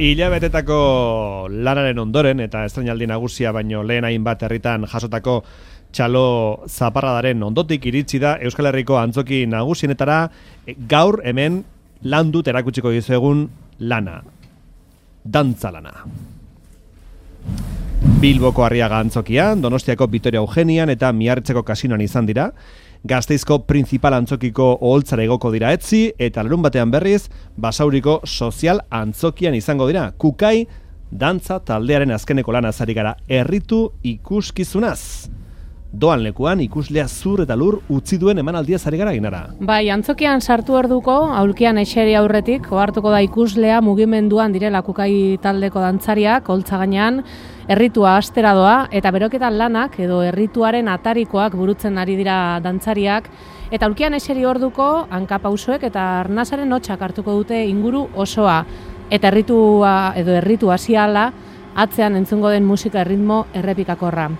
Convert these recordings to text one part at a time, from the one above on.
Hilabetetako lanaren ondoren eta estreinaldi nagusia baino lehen hainbat herritan jasotako txalo zaparradaren ondotik iritsi da Euskal Herriko antzoki nagusienetara gaur hemen landut erakutsiko dizuegun lana. Dantza lana. Bilboko Arriaga antzokian, Donostiako Vitoria Eugenian eta Miarritzeko kasinoan izan dira. Gasteizko Principal antzokiko oholtzara igoko dira etzi eta larun batean berriz Basauriko Sozial antzokian izango dira. Kukai dantza taldearen azkeneko lana azari gara erritu ikuskizunaz. Doan lekuan ikuslea zur eta lur utzi duen emanaldia zari gara ginara. Bai, antzokian sartu orduko, aulkian eseri aurretik, ohartuko da ikuslea mugimenduan direla Kukai taldeko dantzariak, holtza gainean, erritua astera doa, eta beroketan lanak edo errituaren atarikoak burutzen ari dira dantzariak, eta aulkian eseri orduko, hankapausoek eta arnasaren hotxak hartuko dute inguru osoa, eta erritu hasiala, atzean entzungo den musika erritmo errepikakorra.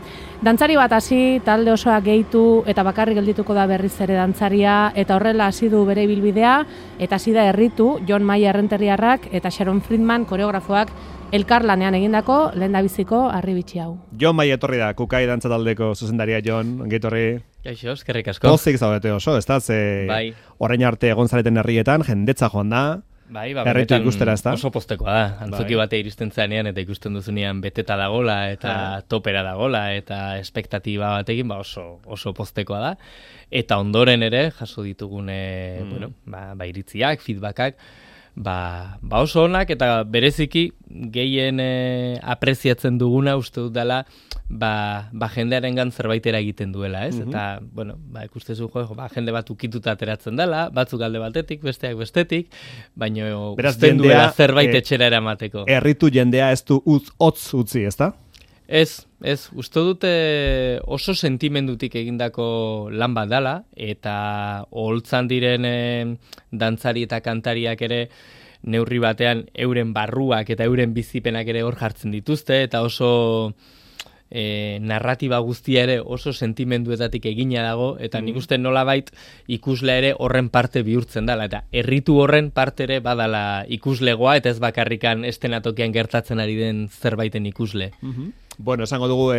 Dantzari bat hasi, talde osoa gehitu eta bakarrik geldituko da berriz ere dantzaria eta horrela hasi du bere ibilbidea eta hasi da erritu Jon Maia Errenteriarrak eta Sharon Friedman koreografoak elkarlanean egindako lehendabiziko harribitxi hau. Jon Maia etorri da, Kukai dantza taldeko zuzendaria. Jon, ongi etorri. Kaixo, eskerrik asko. Pozik zaudete oso, ez da? Bai. Orain arte egon zareten herrietan, jendetza joan da. Bai, erritu ikustera, ez da? Oso postekoa da. Antzoki bate iristen zanean eta ikusten duzunean beteta dagola eta topera dagola eta espektatiba batekin oso postekoa da. Eta ondoren ere jaso ditugun iritziak, feedbackak, oso onak eta bereziki gehien apreziatzen duguna uste dut dela jendearengan zerbaitera egiten duela, ez? Eta, ikustezu jende bat ukituta ateratzen dela, batzuk alde batetik, besteak bestetik, baina usten duela zerbait etxera eramateko. Erritu jendea ez du hotz utzi, ez da? Ez, uste dute oso sentimendutik egindako lan bat dela, eta oholtzan diren dantzari eta kantariak ere neurri batean euren barruak eta euren bizipenak ere hor jartzen dituzte, eta oso narratiba guztia ere oso sentimenduetatik egina dago, eta nik uste nolabait ikusle ere horren parte bihurtzen dela, eta erritu horren parte ere badala ikuslegoa, eta ez bakarrikan estenatokian gertatzen ari den zerbaiten ikusle. Bueno, esango dugu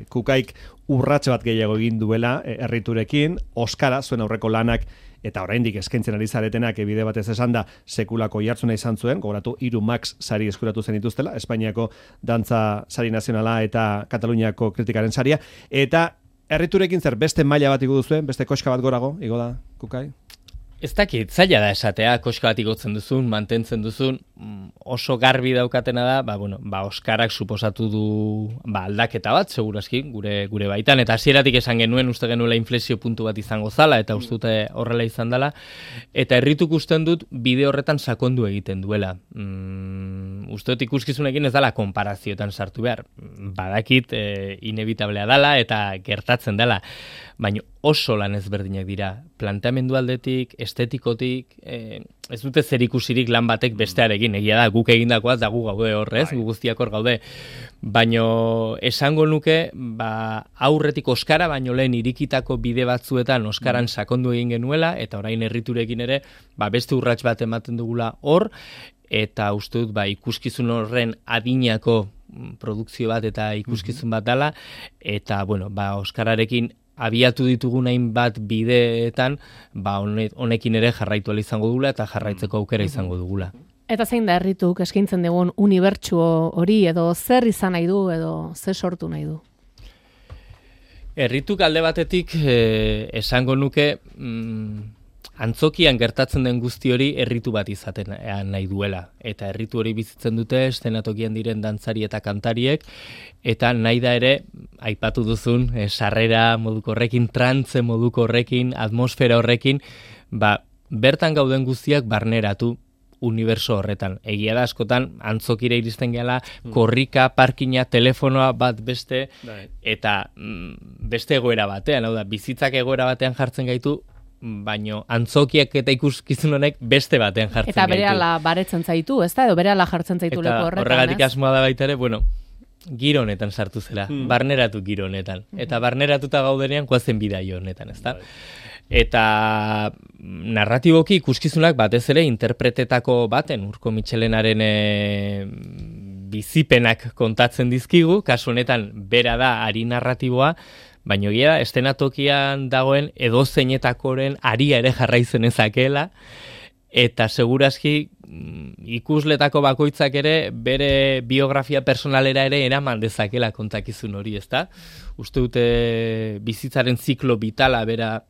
Kukaik urratxe bat gehiago egin duela erriturekin, Oskara, zuen aurreko lanak, eta oraindik eskaintzen ari zaretenak bide batez esan da sekulako jartzuna izan zuen, gogoratu 3 Max sari eskuratu zen dituztela, Espainiako dantza sari nazionala eta Kataluniako kritikaren saria, eta erriturekin zer beste maila bat igo duzuen, beste koska bat gorago, igo da, Kukai? Ez dakit, zaila da esatea, koska bat igotzen duzun, mantentzen duzun, oso garbi daukatena da, Oskarak suposatu du aldaketa bat, segurazki, gure baitan, eta hasieratik esan genuen, uste genuela inflexio puntu bat izango zala, eta uste dute horrela izan dela, eta errituk usten dut bide horretan sakondu egiten duela. Uste dut ikuskizunekin ez dela konparazioetan sartu behar, badakit inevitablea dela eta gertatzen dela, baina oso lan ezberdinak dira, planteamendu aldetik, estetikotik, ez dute zer ikusirik lan batek bestearekin, egia da, guk egindakoaz da gu gaude horrez, gu guztiak hor gaude, baina esango nuke, aurretik Oskara, baino lehen irikitako bide batzuetan Oskaran sakondu egin genuela, eta orain erriturekin ere, beste urrats bat ematen dugula hor, eta uste dut, ikuskizun horren adinako produkzio bat eta ikuskizun bat dela, eta, Oskararekin abiatu ditugun hainbat bideetan, honekin ere jarraitu ahal izango dugula eta jarraitzeko aukera izango dugula. Eta zein da errituk eskaintzen dugun unibertsu hori, edo zer izan nahi du, edo zer sortu nahi du? Errituk alde batetik esango nuke antzokian gertatzen den guzti hori erritu bat izaten nahi duela. Eta erritu hori bizitzen dute estenatokian diren dantzari eta kantariek, eta nahi da ere, aipatu duzun, sarrera moduko horrekin, trantze moduko horrekin, atmosfera horrekin, bertan gauden guztiak barneratu uniberso horretan. Egia da askotan antzokira iristen gehala, korrika, parkina, telefonoa bat beste, eta beste egoera batean, hau da, bizitzak egoera batean jartzen gaitu, baino antzokiak eta ikuskizun honek beste batean jartzen gaitu. Eta berehala baretzen zaitu, ez da? Edo berehala jartzen zaitu lepo horretan, ez? Eta horregatik asmoa da baita ere, giro honetan sartu zela, barneratu giro honetan. Eta barneratuta gaudenean goazen bidai honetan, ez da? Eta narratiboki ikuskizunak batez ere interpretetako baten Urko Mitxelenaren bizipenak kontatzen dizkigu, kasu honetan bera da ari narratiboa, baina egia da, estenatokian dagoen edozeinetakoren aria ere jarraitzen ezakeela, eta segurazki ikusletako bakoitzak ere bere biografia personalera ere eraman dezakela kontakizun hori, ezta? Uste dute bizitzaren ziklo vitala bera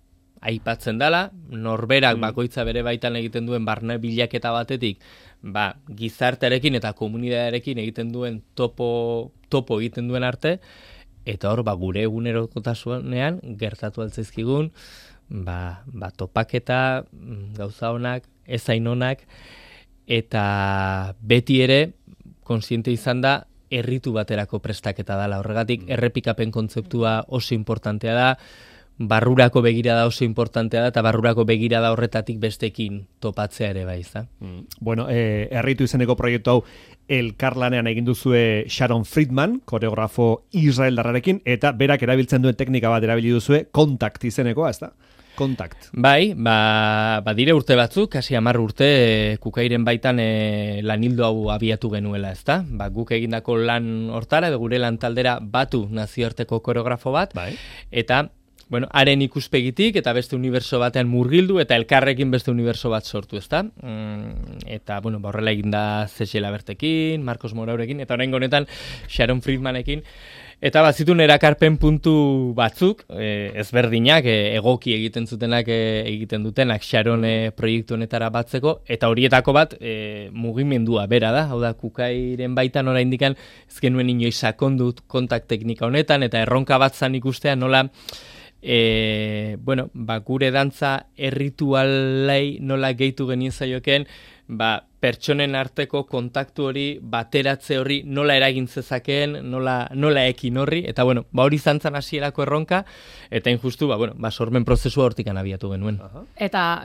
aipatzen dela, norberak bakoitza bere baitan egiten duen barne bilaketa batetik, gizartearekin eta komunitatearekin egiten duen topo egiten duen arte, eta hor gure egunerokotasunean gertatu altzaizkigun, topaketa, gauza honak, ezain onak, eta beti ere kontziente izan da erritu baterako prestaketa dela. Horregatik errepikapen kontzeptua oso importantea da, barrurako begirada oso importantea da, eta barrurako begirada horretatik bestekin topatzea ere bai, za? Bueno, erritu izeneko proiektu hau elkarlanean egin duzue Sharon Friedman, koreografo israeldarrarekin, eta berak erabiltzen duen teknika bat erabili duzue, Contact izenekoa, ez da? Contact. Bai, dire urte batzuk, kasi 10 urte Kukairen baitan lanildo hau abiatu genuela, ezta? Guk egindako lan hortara, gure lan taldera batu nazioarteko koreografo bat, eta haren ikuspegitik eta beste uniberso batean murgildu eta elkarrekin beste uniberso bat sortu, ezta? Eta, horrela egin da Zexela Bertekin, Marcos Moraurekin, eta oraingo honetan Sharon Friedmanekin. Eta bazitun erakarpen puntu batzuk, ezberdinak, egoki egiten zutenak, egiten dutenak Sharon proiektu honetara batzeko, eta horietako bat mugimendua bera da, hau da, Kukairen baitan oraindikan ez genuen inoiz sakondut kontakt teknika honetan, eta erronka bat zan ikustea nola gure dantza erritualei nola gehitu genien zaioken, pertsonen arteko kontaktu hori, bateratze hori, nola eragin zezakeen, nola ekin horri, eta hori zantzan hasierako erronka, eta injustu, sormen prozesua hortikan abiatu genuen. Eta,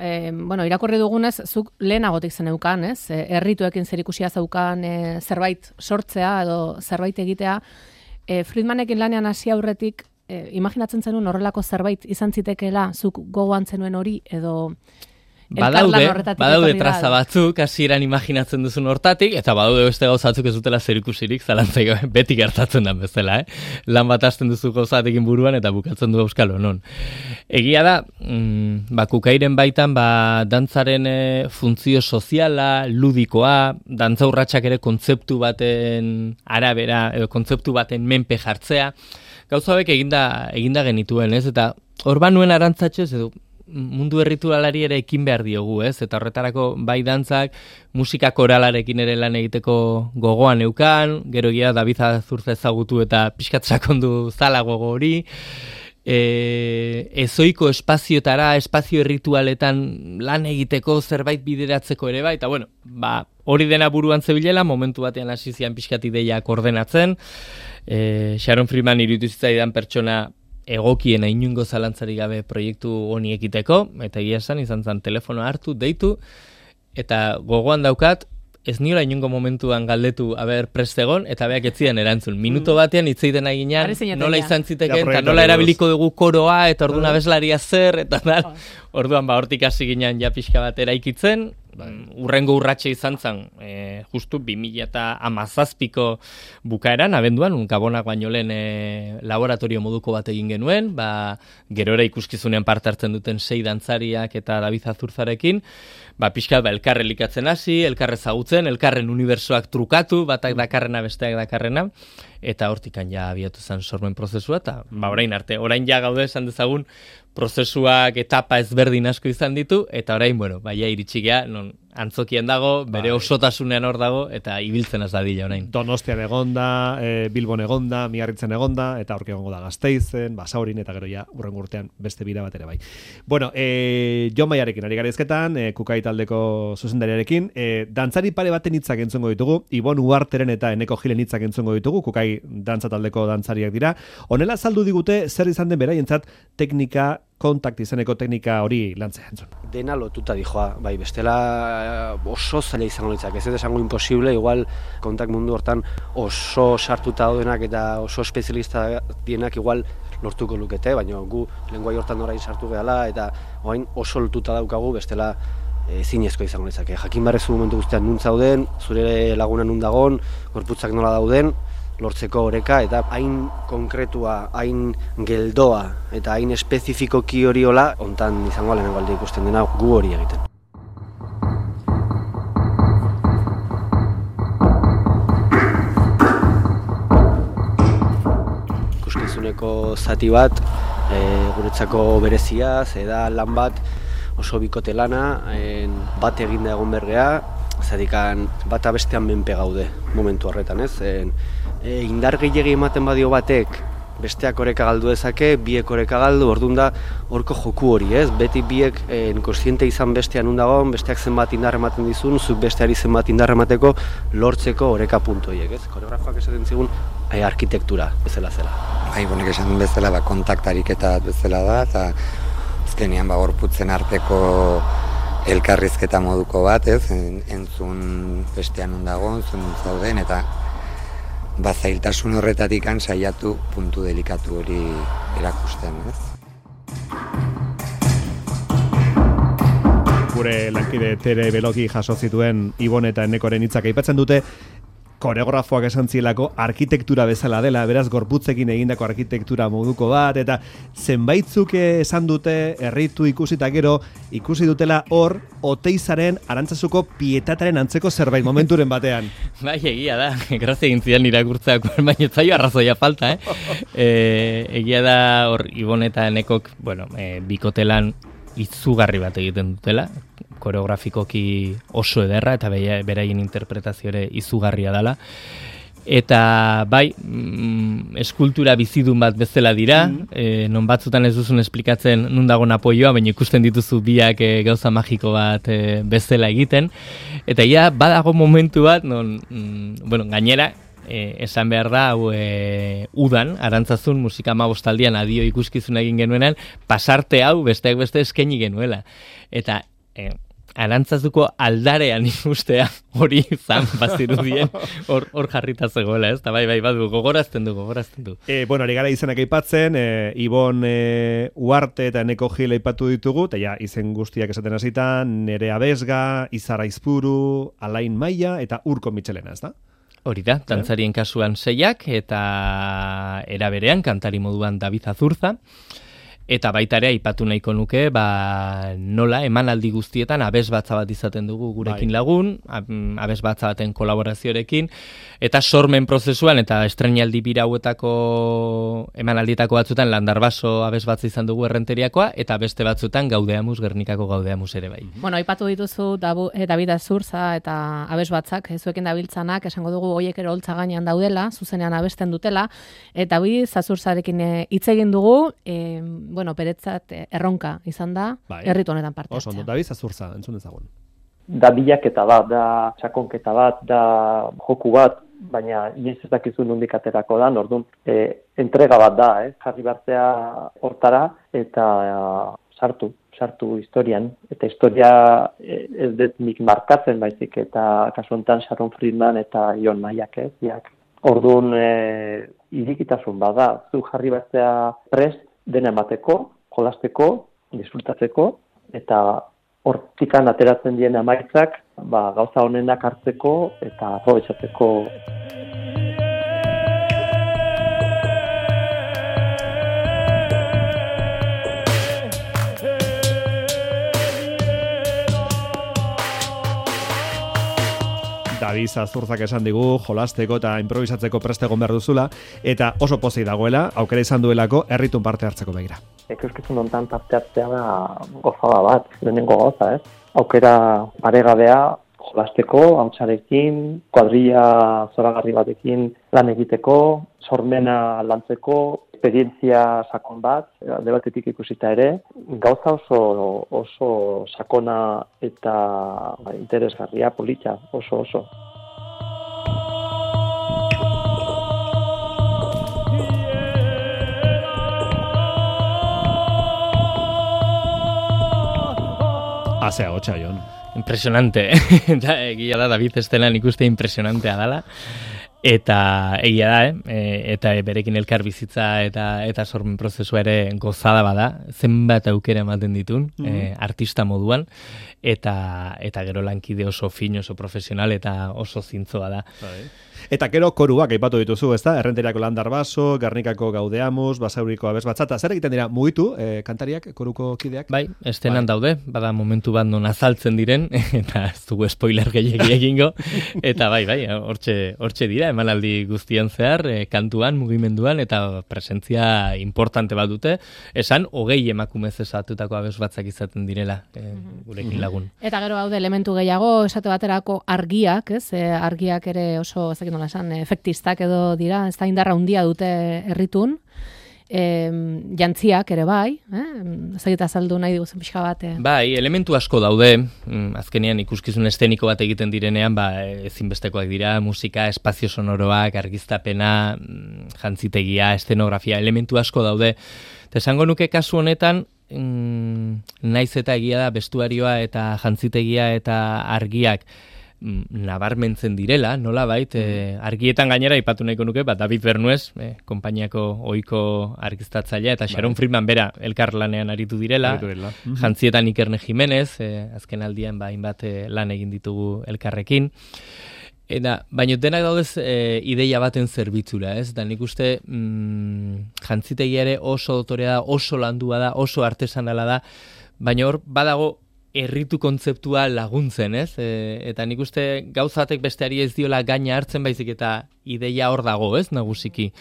irakurri dugunez, zuk lehenagotik zeneukan, ez? Errituekin zerikusia zeukan zerbait sortzea edo zerbait egitea. Friedmanekin lanean hasi aurretik, imaginatzen zenuen horrelako zerbait izan zitekeela, zuk gogoan zenuen hori, edo Badaude traza batzuk, hasieran imaginatzen duzun hortatik, eta badaude beste gauzatzuk ez dutela zerikusirik, zalantzai beti gertatzen da bezala, Lan bat hasten duzu gauzatekin buruan, eta bukatzen du euskalo, non. Egia da, Kukairen baitan, dantzaren funtzio soziala, ludikoa, dantza urratsak ere kontzeptu baten arabera, edo kontzeptu baten menpe jartzea, gauza hauek eginda genituen, ez? Eta hor nuen arantzatxez, edo mundu erritualari ere ekin behar diogu, ez? Eta horretarako bai dantzak, musika koralarekin ere lan egiteko gogoan neukan, gero egia David Azurza ezagutu eta pixkat sakondu zala gogo hori, ezoiko espazioetara, espazio erritualetan lan egiteko zerbait bideratzeko ere bai, eta hori dena buruan zebilela, momentu batean hasi zian pixkat ideiak ordenatzen, Sharon Friedman iruditu zitzaidan pertsona egokiena inungo zalantzari gabe proiektu honi ekiteko, eta egia esan izan zen telefonoa hartu, deitu, eta gogoan daukat, ez niola inungo momentuan galdetu prest egon, eta beak ez zidan erantzun. Minuto batean hitzeiten eginean, nola izan ziteken, eta nola erabiliko dugu koroa, eta orduan abeslaria zer, eta orduan hortik hasi ginean ja pixka bat eraikitzen, urrengo urratxe izan zen, justu 2017ko bukaeran, abenduan, Gabonak baino lehen laboratorio moduko bat egin genuen, gerora ikuskizunean parte hartzen duten 6 dantzariak eta David Azurzarekin, pixkat elkarre elikatzen hasi, elkarre ezagutzen, elkarren unibersoak trukatu, batak dakarrena, besteak dakarrena, eta hortikan ja abiatu zen sormen prozesua, eta orain arte, orain ja gaude esan dezagun, prozesuak etapa ezberdin asko izan ditu, eta orain, iritsi gea, non antzokian dago, bere osotasunean hor dago, eta ibiltzen az dadila orain. Donostian egonda, Bilbon egonda, Miarritzen egonda, eta horke egongo da Gasteizen, Basaurin, eta gero ja urrengo urtean beste bira bat ere bai. Jon Maiarekin ari gara ezketan, Kukai taldeko zuzendariarekin, dantzari pare baten hitzak entzongo ditugu, Ibon Uarteren eta Eneko Gilen hitzak entzongo ditugu, Kukai dantza taldeko dantzariak dira. Honela azaldu digute zer izan den beraientzat teknika, kontakt izeneko teknika hori lantzea entzun. Dena lotuta dijoa, bestela oso zaila izango litzak, ez esango imposible, igual kontak mundu hortan oso sartuta daudenak eta oso espezialista dienak igual lortuko lukete, baina gu lenguai hortan orain sartu gehala eta orain oso lotuta daukagu bestela ezinezko izango litzake. Jakin barrezu momentu guztian nun zauden, zure laguna nun dagon, gorputzak nola dauden, lortzeko oreka eta hain konkretua, hain geldoa eta hain espezifikoki hori hola, hontan izango lehenengo alde ikusten dena gu hori egiten. Ikuskizuneko zati bat, guretzako berezia, da lan bat oso bikote lana, bat eginda egon bergea, zadikan bata bestean menpe gaude momentu horretan, ez? Indar gehiegi ematen badio batek besteak oreka galdu dezake, biek oreka galdu, orduan da horko joku hori, ez? Beti biek kontziente izan bestean undagoen, besteak zenbat indar ematen dizun, zuk besteari zenbat indar emateko lortzeko oreka puntu horiek, ez? Koreografoak esaten zigun arkitektura bezala zela. Bonek esan duen bezala, kontaktarik eta bezala da, eta azkenean gorputzen arteko elkarrizketa moduko bat, ez? Entzun bestean undago, entzun zauden, eta zailtasun horretatik saiatu puntu delikatu hori erakusten, ez? Gure lankide Tere Beloki jaso zituen Ibon eta Enekoren hitzak aipatzen dute, koreografoak esan zielako arkitektura bezala dela, beraz gorputzekin egindako arkitektura moduko bat, eta zenbaitzuk esan dute erritu ikusita gero, ikusi dutela hor Oteizaren Arantzazuko pietataren antzeko zerbait momenturen batean. Bai, egia da, grazia egin zidan irakurtzeak, baina zaio arrazoia falta, egia da hor Ibon eta Enekok, bikotelan izugarri bat egiten dutela, koreografikoki oso ederra eta beraien interpretazio ere izugarria dela. Eta bai, eskultura bizidun bat bezala dira, non batzutan ez duzun esplikatzen nun dagoen apoioa, baina ikusten dituzu biak gauza magiko bat bezala egiten. Eta ia badago momentu bat, gainera, esan behar da, udan, Arantzazun musika 15aldian adio ikuskizuna egin genuenan, pasarte hau besteak beste eskaini genuela. Eta Arantzazuko aldarean ikustea hori izan bazirudien hor jarrita zegoela, ez? Eta bai, badu, gogorazten du. Ari gara izenak aipatzen, Ibon Uarte eta Eneko Gil aipatu ditugu, eta ja, izen guztiak esaten hasitan, Nerea Besga, Izar Aizpuru, Alain Maia eta Urko Mitxelena, ez da? Hori da, dantzarien kasuan 6 eta era berean kantari moduan David Azurza. Eta baita ere aipatu nahiko nuke, nola emanaldi guztietan abesbatza bat izaten dugu gurekin lagun, abesbatza baten kolaborazioarekin, eta sormen prozesuan eta estreinaldi bira hauetako emanaldietako batzutan Landarbaso abesbatza izan dugu Errenteriakoa, eta beste batzutan Gaudeamus, Gernikako Gaudeamus ere bai. Aipatu dituzu David Azurza eta abesbatzak, zuekin dabiltzanak, esango dugu hoiek ere holtza gainean daudela, zuzenean abesten dutela, eta David Azurzarekin hitz egin dugu, beretzat erronka izan da, herritu honetan parte hartzea. Oso, David Azurza, entzun dezagun. Da bilaketa bat, da sakonketa bat, da joku bat, baina inoiz ez dakizu nondik aterako da, orduan entrega bat da, jarri bartzea hortara eta sartu historian. Eta historia ez dut nik markatzen baizik, eta kasu honetan Sharon Friedman eta Jon Maiak, orduan irikitasun bada, zu jarri bartzea prest, dena emateko, jolasteko, disfrutatzeko, eta hortikan ateratzen dien amaitzak, gauza honenak hartzeko eta aprobetxatzeko. David Azurzak esan digu, jolasteko eta improvisatzeko prest egon behar duzula, eta oso pozik dagoela, aukera izan duelako, herritun parte hartzeko begira. Ikuskizun hontan parte hartzea da gozada bat, lehenengo goza, Aukera paregabea, jolasteko, hautsarekin, kuadrilla zoragarri batekin lan egiteko, sormena lantzeko, esperientzia sakon bat, alde batetik ikusita ere, gauza oso sakona eta interesgarria, polita, oso. Azea hotxa, Jon. impresionante. Egia da, David estelan ikuste impresionantea dela. Eta egia da, eta berekin elkar bizitza eta sormen prozesua ere gozada bada, zenbat aukera ematen ditun, artista moduan, eta gero lankide oso fin, oso profesional eta oso zintzoa da. Eta gero koruak aipatu dituzu, ezta? Errenteriako Landar Baso, Gernikako Gaudeamus, Basauriko Abesbatzata, zer egiten dira mugitu kantariak, koruko kideak? Bai, estenan daude, bada momentu bat non azaltzen diren, eta ez dugu spoiler gehiegi egingo, eta bai, hortxe dira, emanaldi guztian zehar, kantuan, mugimenduan, eta presentzia importante bat dute, esan, 20 emakumez esatutako abesbatzak izaten direla, gurekin lagun. Eta gero baude elementu gehiago, esate baterako argiak, ez? Argiak ere oso, nola esan, efektistak edo dira, ez da indarra handia dute herritun, jantziak ere bai, ezagita azaldu nahi diguzen pixka bat. Bai, elementu asko daude, azkenean ikuskizun esteniko bat egiten direnean, ezinbestekoak dira, musika, espazio sonoroak, argiztapena, jantzitegia, estenografia, elementu asko daude. Esango nuke kasu honetan, naiz eta egia da, bestuarioa eta jantzitegia eta argiak, nabarmentzen direla, nola bait, argietan gainera ipatu nahiko nuke, David Bernuez, konpainiako ohiko argiztatzailea, eta Sharon Friedman bera elkarlanean aritu direla, jantzietan Ikerne Jimenez, azken aldian hainbat lan egin ditugu elkarrekin, baina denak daudez ideia baten zerbitzura, ez? Da nik uste jantzitegia ere oso dotorea da, oso landua da, oso artesanala da, baina hor badago herritu kontzeptua laguntzen, ez? Eta nik uste gauzatek besteari ez diola gaina hartzen baizik eta ideia hor dago, ez? Nagusiki.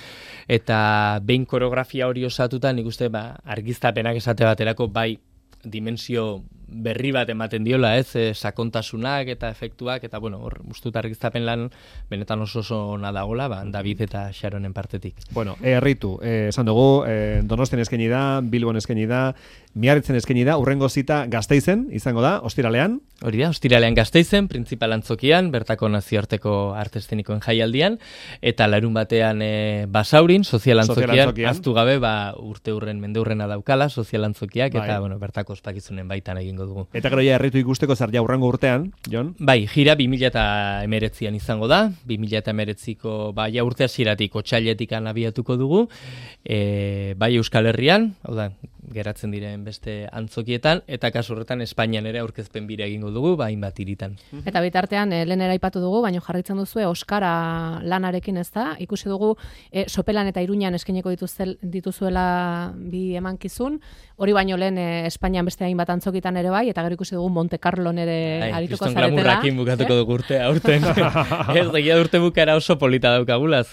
Eta behin koreografia hori osatuta nik uste argiztapenak esate baterako bai dimensio berri bat ematen diola, ez? Sakontasunak eta efektuak, eta hor ustut argiztapen lan benetan oso ona dagola, David eta Sharonen partetik. Bueno, herritu, esan dugu, Donostian eskaini da, Bilbon eskaini da, Miarritzen eskaini da, urrengo zita Gasteizen izango da, ostiralean. Hori da, ostiralean Gasteizen, printzipal antzokian, bertako nazioarteko arte eszenikoen jaialdian, eta larun batean Basaurin, sozial antzokian, aztu gabe, mende urrena daukala, sozial antzokiak, eta bertako ospakizunen baitan egingo dugu. Eta gero ja herritu ikusteko zer ja urrengo urtean, Jon? Bai, gira 2019an izango da, 2019ko ja urte hasieratik otsailetik abiatuko dugu, bai Euskal Herrian, hau da, geratzen diren beste antzokietan, eta kasu horretan Espainian ere aurkezpen bira egingo dugu, hainbat hiritan. Eta bitartean, lehen eraipatu dugu, baina jarraitzen duzue Oskara lanarekin, ez da? Ikusi dugu, Sopelan eta Iruñan eskaineko dituzuela bi emankizun, hori baino lehen Espainian beste hainbat antzokitan ere bai, eta gero ikusi dugu Monte Carlon ere arituko zaretela. Kriston glamurrakin bukatuko dugu urte, aurten. Ez, egia urte bukara oso polita daukagulaz.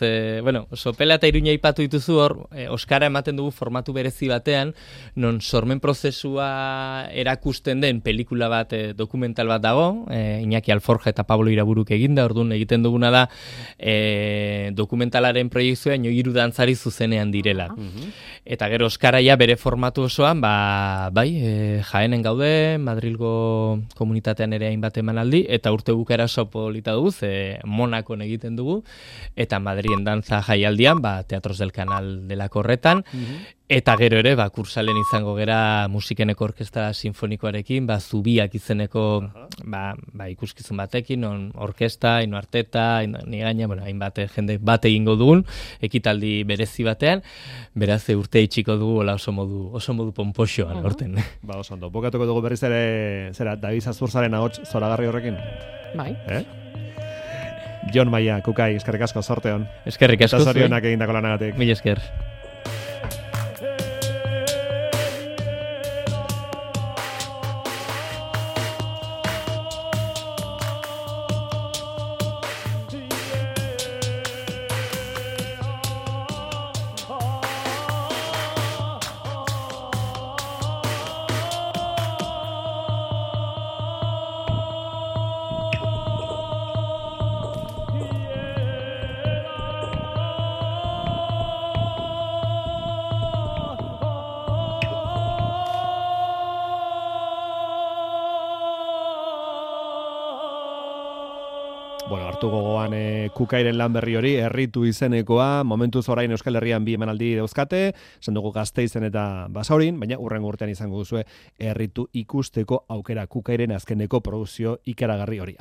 Sopela eta Iruña aipatu dituzu hor, Oskara ematen dugu formatu berezi batean, non sormen prozesua erakusten den pelikula bat, dokumental bat dago, Iñaki Alforja eta Pablo Iraburuk eginda, orduan egiten duguna da dokumentalaren proiektzioa 3 dantzari zuzenean direla. Eta gero Oskaraia bere formatu osoan, Jaenen gaude, Madrilgo komunitatean ere hainbat emanaldi, eta urte bukara oso polita dugu, Monakon egiten dugu, eta Madrien dantza jaialdian, Teatros del Canal delako horretan, eta gero ere, kursalen izango gera musikeneko orkestra sinfonikoarekin, Zubiak izeneko ikuskizun batekin, non orkesta, Ino Arteta, ni gaina, hainbat jende bat egingo dugun, ekitaldi berezi batean, beraz urte itxiko dugu oso modu ponpoxoan horten. Oso ondo, bokatuko dugu berriz ere, David Zazurzaren ahots zoragarri horrekin? Bai. Jon Maia, Kukai, eskerrik asko, zorte hon. Eskerrik asko. Eta zorionak egindako lanagatik. Mila esker. hartu gogoan Kukairen lan berri hori, Erritu izenekoa, momentuz orain Euskal Herrian 2 emanaldi dauzkate, esan dugu Gasteizen eta Basaurin, baina hurrengo urtean izango duzue Erritu ikusteko aukera Kukairen azkeneko produkzio ikaragarri hori.